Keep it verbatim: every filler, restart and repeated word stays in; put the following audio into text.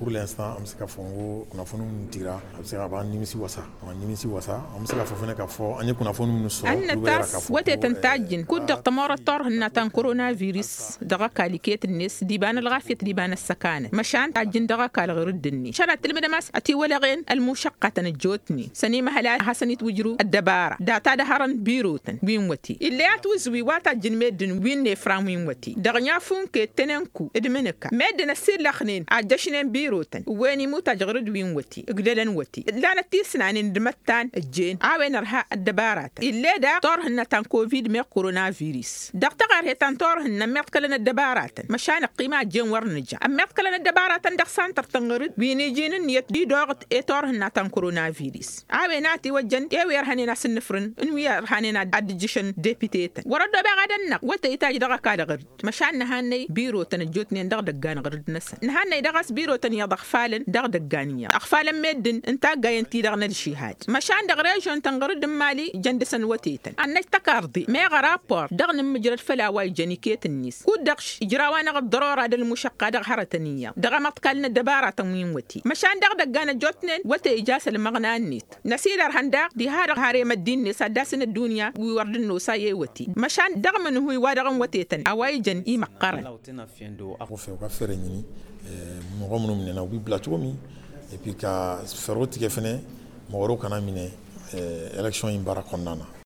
Pur l'instant am sǝka făw n-kunnafoni n-tira. Am sǝka băɣăn nimǝsi wăsa. Am sǝka făw fănăk a făw ănni kunnafoni n-săr. Ănnăt a-s wătetăn tajjǝn kud-dăɣ tămorăt turhǝnna ta n-koronavirus dăɣ-ăkall iket-net d-iba n-ălɣafyăt d-iba n-ăssăkanăt măšan tajjǝn dăɣ-ăkall ɣur-dd-net šănat tǝlmǝdăm a-s ătiwălăɣen ălmušăqqatăn ăjjootnen. Sănimăhăl a hasăn-itwǝjrǝw ăddăbara data d-ehărăn birotăn wi n-wăte ill'-e a tiwǝzwi wa tajjǝn meddǝn wi n-efran wi n-wăte dăɣ-nyafu n-kettănen ku d-imǝnǝka meddǝn ăssillăxnen ajjăšnen birotăn ǝwwen imutaj ɣur-dd wi n-wăte ǝgdălăn wăte ǝllanăt tisnanen d-imăttan ǝjjen a-wen ărha ăddăbaratăn ill'-e daɣ turhǝnna ta n-covid meɣ koronavirus dăɣ-taɣărhe ta n-turhǝnna ămmiḍkălăn ăddăbaratăn măšan ăqqima ăjjen wăr nǝja ămmiḍkălăn ăddăbaratăn dăɣ-santăr-tăn ɣur-dd wi n-iji n-ǝnniyăt d-idoɣăt i-turhǝnna ta n-koronavirus a-wen a tiwăjjăn i-wi ărhănen asǝnnǝfrǝn n-wi ărhanen ad-dd-ǝjjǝšăn depitetăn wăr-ăddobeɣ ad-ănnaɣ wătăy itaj dăɣ-ăkall ɣur-dd măšan nǝhannăy birotăn ăjjootnen dăɣ-idăggan ɣur-dd-năsăn nǝhannăy daɣ a-s birotăn iyyăḍ ăɣfalăn dăɣ-idăggan iyyăḍ ăɣfalăn meddǝn n-taggayen-ti-dăɣ n-ălžihad măšan dăɣ-režion-tăn ɣur-dd n-imali jăn dăɣ-săn wătetăn ad-năj tăkarḍe meɣ ărapor dăɣ-nǝmmǝjrăd făll-a-wa ijăn iket-net kud-dăɣ š-ijraw-anăɣ ăḍḍărora d-ălmušăqqa dăɣ-hărătăn iyyăḍ dăɣ-amăḍkal n-ăddăbaratăn wi n-wăte măšan dăɣ-idăggan ăjjootnen wăte ija s-ălmăɣna-net năsilărhăn daɣ diha-dăɣ harem ăddin-net ad-dd-asǝn ăddunya wi wăr dd-nosa i-wăte măšan dăɣ-imǝnhǝy wa dăɣ-n wătetăn a-wa ijăn imăqqărăn. Ăffe okăffere n-ini măɣ ămănum nena ubi blat omi epi ka ferro tikefene măɣ ărokăn amine election inbara kănnana.